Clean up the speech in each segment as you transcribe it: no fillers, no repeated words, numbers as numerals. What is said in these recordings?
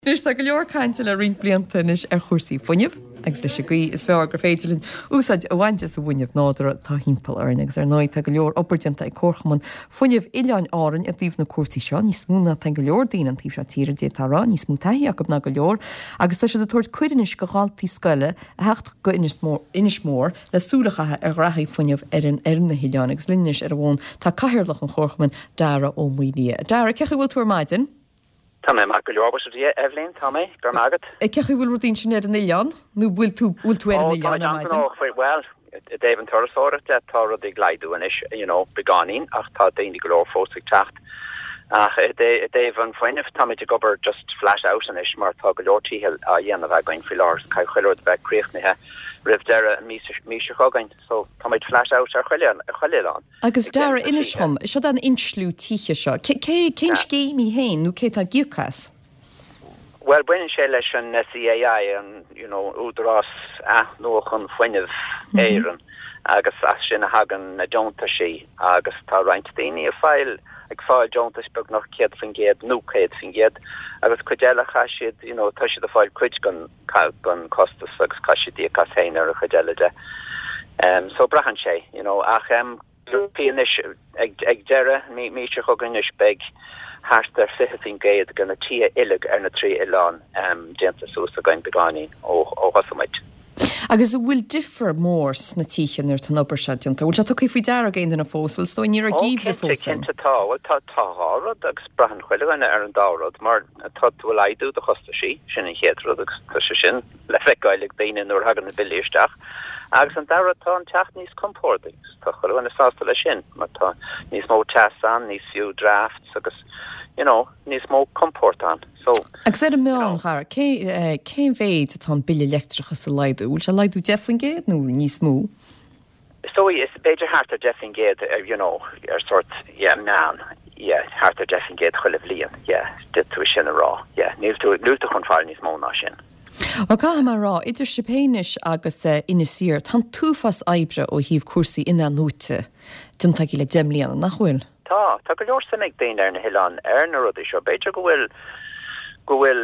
Anois tá go leor cainte le roinnt blianta anois ar chúrsaí fuinnimh agus leis an gcaoi is fearr gur féidir linn úsáid a bhaint as an bhfuinneamh nádúrtha atá thimpeall orainn. Agus ar ndóigh tá go leor obair déanta ag Comharchumann Fuinnimh Oileáin Árann i dtaobh na cúrsaí seo, níos mó ná tá go leor daoine an taobh seo tíre, d'fhéadfá a rá, níos mó taithí acu ná go leor agus tá siad ag tabhairt cuireadh anois go dhaltaí scoile a theacht go Inis Mór le súil a chaitheamh ar ghraithí fuinnimh ar an ar na hoileáin. Agus linn anois ar an bhfón tá Cathaoirleach an Chomharchumainn, Dara Ó Maoildhia. Dara, cén chaoi a bhfuil tú ar maidin? Tá mé maith go leor, buíochas le Dia, Eibhlín, tá mé, go raibh maith agat. Cén chaoi a bhfuil rudaí ansin ar an oileán? Nó bhfuil tú, bhfuil tú ar an oileán ar maidin? Ó, tá mé bhuel, i dtaobh an turasóireacht de, tá rudaí ag laghdú anois, you know, beagáinín, ach tá daoine go leor fós ag teacht. Ach i dtaobh an fuinnimh, táimid ag obair just flat out anois mar tá go leor tithe á dhéanamh againn faoi láthair, caithfidh chuile rud a bheith críochnaithe roimh deireadh an mhí seo chugainn, so táimid flat out ar chuile, ar chuile oileán. Agus Dara, inis dhom, seod an insliú tithe seo, cén scéim í féin nó cé atá ag íoc as? Bhuel, baineann sé leis an SEAI, an you know, Údarás Athnuachan Fuinnimh Éireann, agus as sin a thagann na deontaisí agus tá roinnt daoine ag fáil ag fáil deontais beagnach 100% nó 100% agus cuid eile chaith siad, you know, tá siad ag fáil cuid den den costas agus caithfidh siad íoc as féin ar an chuid eile de. So braitheann sé, you know, ach bhí anois ag ag deireadh mí mí seo chugainn anois beidh thart ar 20% de na tithe uilig ar na trí oileán déanta suas againn beagáinín ó ó thosaigh muid. Agus an bhfuil difear mór sna tithe nuair atá an obair seo déanta? Bhfuil sé tugtha faoi deara ag aon duine fós? Bhuel, is dóigh ní raibh Ó geimhreadh cinnte, fós ann. cinnte tá. Bhuel tá tá dhá rud agus braitheann chuile dhuine ar an dá rud mar Tá tú ag laghdú do chostaisí, sin an chéad rud agus tá sé sin le feiceáil ag daoine nuair a thagann na billí isteach. Agus an dara rud, tá an teach níos compórdaí agus tá chuile dhuine sásta leis sin mar tá níos mó teas ann, níos fiú drafts agus you know níos mó compóirt ann. So, Agus ar an meán, a Dhara, cé, cén mhéid atá an bille leictreachais ag laghdú? Bhfuil sé ag laghdú 10% nó níos mó? Is dóigh, is b'fhéidir thart ar 10% ar, you know, ar sórt, yeah, meán, yeah, thart ar 10% chuile bhliain, yeah, d'fhéadfadh tú é sin a rá, yeah, níl tú, níl tú chun fáil níos mó ná sin. Bhuel, caithfidh mé a rá, idir sibh féin anois agus Inis Oírr, tá an t-uafás oibre ó thaobh cúrsaí in-athnuaite déanta agaibh le 10 mbliana, nach bhfuil? Tá, tá go leor suim ag daoine ar na hoileáin ar na rudaí seo. B'fhéidir go bhfuil, go bhfuil,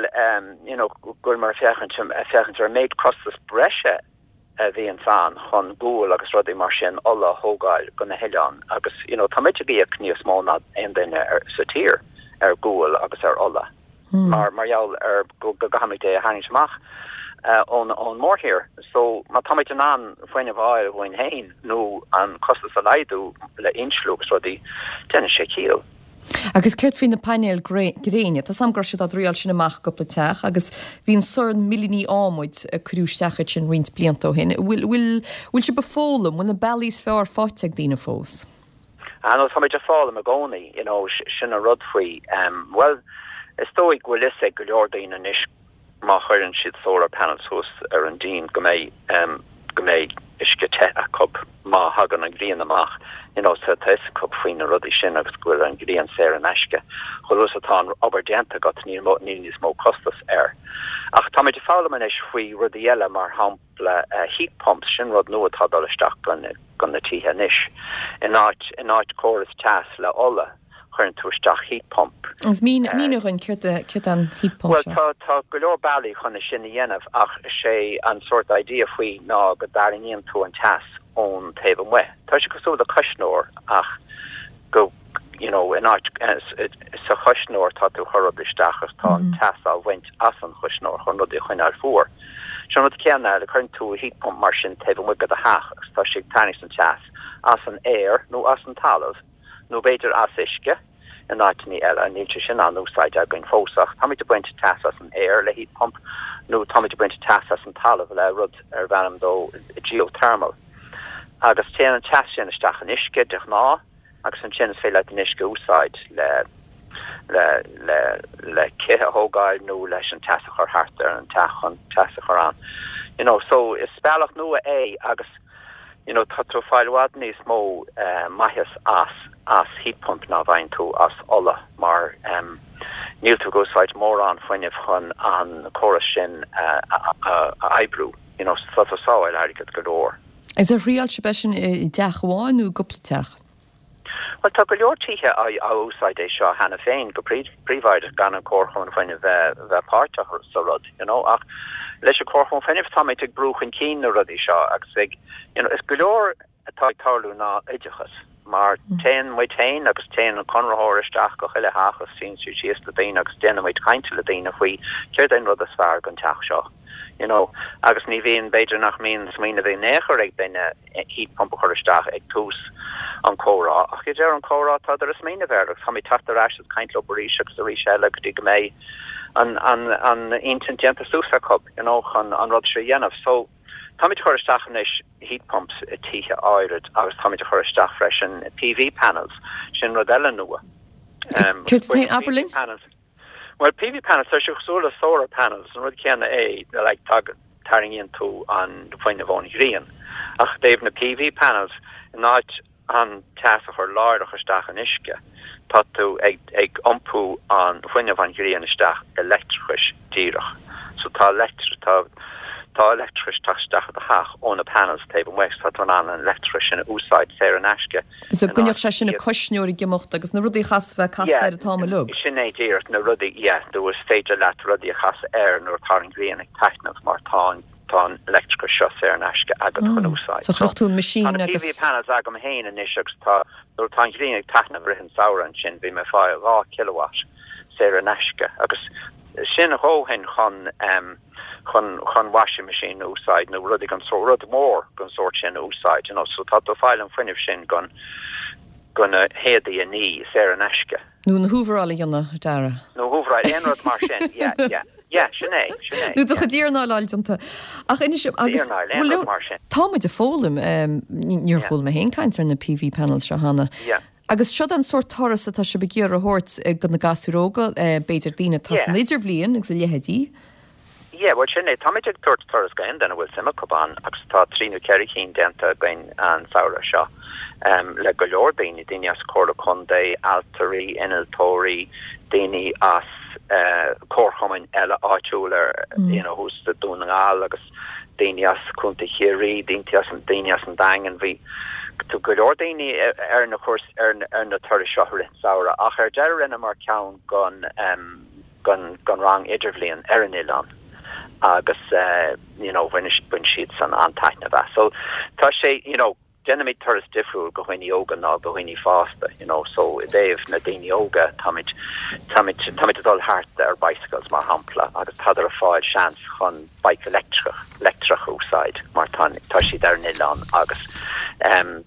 you know, go bhfuil muid ag féachaint, ag féachaint ar an méid costas breise a bhíonns ann chun gual agus rudaí mar sin, ola a thógáil go na hoileáin agus you know tá muid ag íoc níos mó ná aon duine ar, sa tír ar gual agus ar ola mar mar gheall ar go go gcaithfimid é a tharraingt amach ón ón mórthír. So má táimid in ann fuinneamh a fháil dhúinn féin nó an costas a laghdú le insliú agus rudaí, déanann sé ciall. Agus céard faoi na painéil gréine? Tá 's a'm go raibh siad á dtriáil sin amach i gcúpla teach agus bhí an sorn millíní adhmaid a cuireadh isteach iad sin roinnt blianta ó shin. Bhfuil, bhfuil, bhfuil sibh ag foghlaim? Bhfuil na bealaí is fearr faighte ag daoine fós? Ah no, táimid ag foghlaim i gcónaí, you know, sin an rud faoi. Bhuel, is dóigh go bhfuil fhios ag go leor daoine anois má chuireann siad solar panels suas ar an díon go mbeidh go mbeidh uisce te acu má thagann an ghrian amach you know so tá fhios acu faoi na rudaí sin agus go bhfuil an ghrian saor in aisce. Chomh luath is atá an obair déanta agat níl níl níos mó costas air. Ach táimid ag foghlaim anois faoi rudaí eile mar shampla heat pumps sin rud nua atá ag dul isteach go go na tithe anois. In áit in áit córas teas le ola. chuireann tú isteach heat pump. Agus mínigh dhúinn céard é an heat pump seo? Bhuel, tá, tá go leor bealaí chun é sin a dhéanamh ach is é an sórt idea faoi ná go dtarraingíonn tú an teas ón taobh amuigh. Tá sé cosúil le cuisneoir ach go, you know, in áit, sa chuisneoir tá tú ag cur rud isteach agus tá an teas á bhaint as an chuisneoir chun rudaí a choinneáil fuar. Seo an rud céanna, cuireann tú heat pump mar sin taobh amuigh de do theach agus tá sé ag tarraingt an teas as an aer nó as an talamh. nó b'fhéidir as uisce in áiteanna eile. Níl sé sin á n-úsáid againn fós ach táimid ag baint teas as an aer le heat pump nó táimid ag baint teas as an talamh le rud arbh ainm dó geothermal. Agus téann an teas sin isteach in uisce de ghnáth agus ansin is féidir leat an uisce a úsáid le le le le cith a thógáil nó leis an teas a chur thart ar an teach chun teas a chur ann. You know, so is bealach nua é agus you know tá tú ag fáil i bhfad níos mó maitheas as as heat pump ná a bhfaigheann tú as ola mar níl tú ag úsáid mórán fuinnimh chun an córas sin a oibriú you know so tá tú ag sábháil airgead go leor. Agus ar thriáil sibh é sin i dteach amháin nó i gcúpla teach? Bhuel tá go leor tithe á úsáid é seo cheana féin go príobháideach gan an Comharchumann Fuinnimh bheith bheith páirteach sa rud, you know, ach leis an Comharchumann Fuinnimh táimid ag brú chun cinn na rudaí seo agus ag, you know, is go leor atá ag tarlú ná oideachas mar téann muid féin agus téann an conraitheoir isteach go chuile theach agus suíonn siad síos le daoine agus déanann muid caint le daoine faoi céard é an rud is fearr don teach seo, you know, agus ní bhíonn, b'fhéidir nach mbíonn smaoineamh in aon chor ag duine heat pump a chur isteach ag tús an chomhrá ach ag deireadh an chomhrá tádar ag smaoineamh air agus táimid teacht ar ais agus caint leo arís agus arís eile go dtí go mbeidh an, an, an intinn déanta suas acu, you know, chun an rud seo a dhéanamh. So, Táimid ag cur isteach anois heat pumps i tithe áirid agus táimid ag cur isteach freisin PV panels, sin rud eile nua. Céard é, abair linn? Bhuel PV panels, tá sé cosúil le solar panels, an rud céanna é, like tarraingíonn tú an fuinneamh ón ghrian. Ach i dtaobh na PV panels, in áit an teas a chur láithreach isteach in uisce, tá tú ag ag iompú an fuinneamh an ghrian isteach i leictreachais díreach. So tá leictr tá tá leictreachais teacht isteach i do theach ó na panels taobh amuigh so tá tú in ann an leictreachais sin a úsáid saor in aisce So go gcoinneodh sé sin an cuisneoir ag imeacht agus na rudaí a chaithfeas a bheith casta air an t-am uilig. Sin é díreach na rudaí, yeah, nó is féidir leat rudaí a chasadh air nuair atá an ghrian ag taitneamh mar tá an Tá an leictreachas seo saor in aisce agat chun úsáid. So chuirfeadh tú an machine Tá na agus. PV panels agam féin anois agus tá, nuair atá an ghrian ag taitneamh i rith an samhradh ansin, bhí mé ag fáil 2 kilowatt saor in aisce agus sin a dhóthain chun, chun, chun washing machine a úsáid nó rudaí den sórt, rud mór den sórt sin a úsáid, you know. So tá tú ag fáil an fuinneamh sin chun, chun na héadaí a ní saor in aisce. Nó na húvaráil a dhéanamh, a Dara. Nó húvaráil, aon rud mar sin, yeah, yeah. Yeah, sin é, sin é. Nó do chuid iarnáil a fháil déanta. Ach inis, agus, Iarnáil, aon rud mar sin. Tá muid ag foghlaim, níor Yeah. chuala mé féin caint ar na PV panels seo cheana. Yeah. Agus seo an sórt turas atá sibh ag iarraidh a thabhairt do na gasúir óga, b'fhéidir daoine atá Yeah. san idirbhliain agus a leithéidí. Yeah, bhuel sin é. Táimid ag tabhairt turas go aon duine a bhfuil suim acu ann agus tá trí nó ceithre chinn déanta againn an samhradh seo le go leor daoine, daoine as Comhairle Contae, ailtirí, innealtóirí, daoine as comharchumainn eile áitiúla you know thuas i Dún na nGall agus daoine as Contae Chiarraí, daoine as daoine as an Daingean. Bhí go leor daoine ar na cúrsaí ar na turais seo i rith an samhradh ach ar deireadh rinneamar ceann gon don rang idirbhliain ar an oileán agus you know bhain bhain siadsan an-taitneamh as. So tá sé you know déanaimid turas difriúil go dhaoine óga ná go dhaoine fásta you know so i dtaobh na daoine óga táimid táimid táimid ag dul thart ar bicycles mar shampla agus tádar ag fáil seans chun bike leictreach leictreach a úsáid mar tá tá siad ar an oileán agus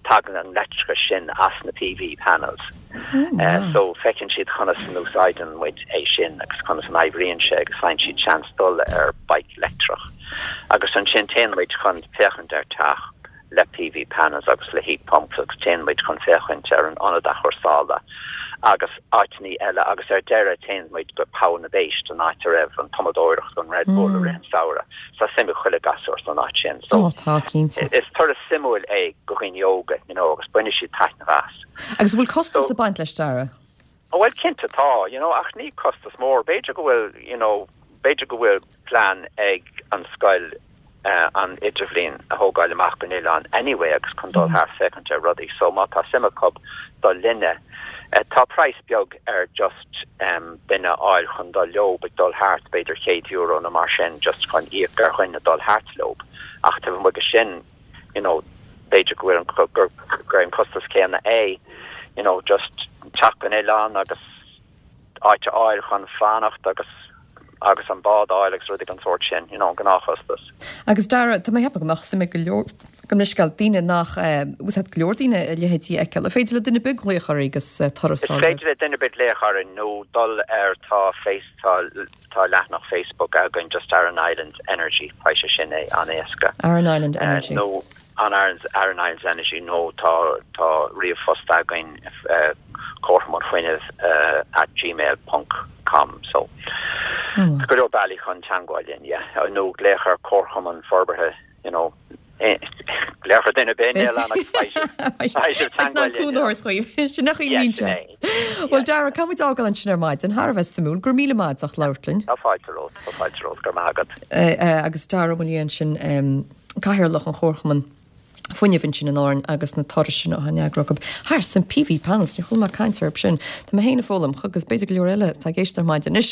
tagann an leictreachas sin as na PV panels. So feiceann siad conas an úsáideann muid é sin agus conas an oibríonn sé agus faigheann siad seans dul ar bike leictreach. Agus ansin téann muid chun féachaint ar teach le PV panels agus le heat pumps agus téann muid chun féachaint ar an ionad athchúrsála agus áiteanna eile agus ar deireadh téann muid go Poll na bPéist, an áit a raibh an tumadóireacht don Red Bull i rith an samhradh. Tá suim ag chuile gasúr san áit sin. So tá, cinnte. Is turas suimiúil é go dhaoine óga, you know, agus baineann siad taitneamh as. Agus an bhfuil costas ag baint leis, Dara? Bhuel, cinnte tá, you know, ach ní costas mór. B'fhéidir go bhfuil, you know, b'fhéidir go bhfuil plean ag an scoil an idirbhliain a thógáil amach gon oileán anyway agus chun dul thart féachaint ar rudaí. So má tá suim acu dul linne, tá praghas beag ar just duine a fháil chun dul leob ag dul thart, b'fhéidir €100 nó mar sin just chun íoc ar dhuine dul thart leob. Ach taobh amuigh de sin, you know, b'fhéidir go bhfuil an, gur, gur é an costas céanna é, you know, just teacht gon oileán agus áit a fháil chun fanacht agus, agus an bád a fháil agus rudaí den sórt sin, you know, an gnáthchostas. Agus Dara, tá mé ag ceapadh go mbeadh suim ag go leor, gabh mo leithscéal, daoine nach, bhfuil a fhios agat, go leor daoine a leithéidí a fheiceáil. An féidir le duine ar bith glaoch oraibh agus turas a fháil? Is féidir le duine ar bith glaoch orainn nó dul ar tá face, tá, Tá leathanach Facebook againn just Aran Islands Energy, faigheann sé sin é an-éasca. Aran Island Energy. Nó an Aran Islands Energy nó tá tá ríomhphost againn Comharchumann Fuinnimh at gmail ponc com so tá go leor bealaí chun teangmháil linn yeah nó glaoch ar Comharchumann Forbartha you know, glaoch ar duine ar bith níl ann ach beidh sibh teangmháil linn. Cúnamh a thabhairt dhaoibh. Sin nach í Yeah, sin é. Bhuel Dara, caithfidh muid fhágáil ansin ar maidin. Thar a bheith suimiúil. Go raibh míle maith agat as ucht labhairt linn. Tá fáilte romhat, tá fáilte romhat, go raibh maith agat. Agus Dara Ó Maoileoin ansin, Cathaoirleach an Chomharchumainn. Fuinnimh ansin in Árainn agus na turais sin atá á n-eagrú acu thar san PV panels, níor chuala mé caint orthu sin. Tá mé féin ag foghlaim agus b'fhéidir go leor eile atá ag éisteacht ar maidin anois.